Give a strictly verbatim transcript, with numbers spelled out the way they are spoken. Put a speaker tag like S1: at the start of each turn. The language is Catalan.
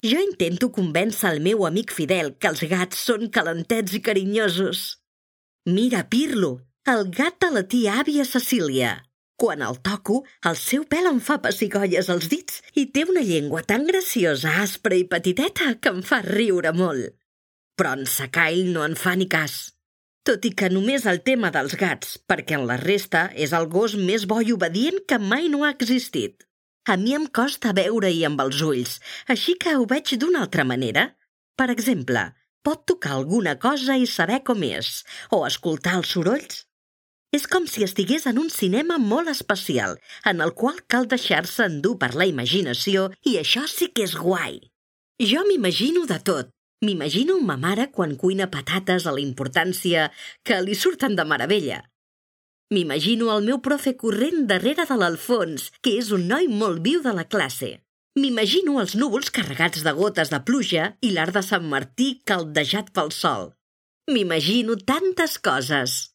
S1: Jo intento convèncer el meu amic Fidel que els gats són calentets i carinyosos. Mira, Pirlo, el gat de la tia àvia Cecília. Quan el toco, el seu pèl em fa pessigolles als dits i té una llengua tan graciosa, aspra i petiteta que em fa riure molt. Però en Sacail no en fa ni cas. Tot i que només el tema dels gats, perquè en la resta és el gos més bo i obedient que mai no ha existit. A mi em costa veure-hi amb els ulls, així que ho veig d'una altra manera. Per exemple, pot tocar alguna cosa i saber com és, o escoltar els sorolls. És com si estigués en un cinema molt especial, en el qual cal deixar-se endur per la imaginació, i això sí que és guai. Jo m'imagino de tot. M'imagino ma mare quan cuina patates a la importància que li surten de meravella. M'imagino el meu profe corrent darrere de l'Alfons, que és un noi molt viu de la classe. M'imagino els núvols carregats de gotes de pluja i l'art de Sant Martí caldejat pel sol. M'imagino tantes coses.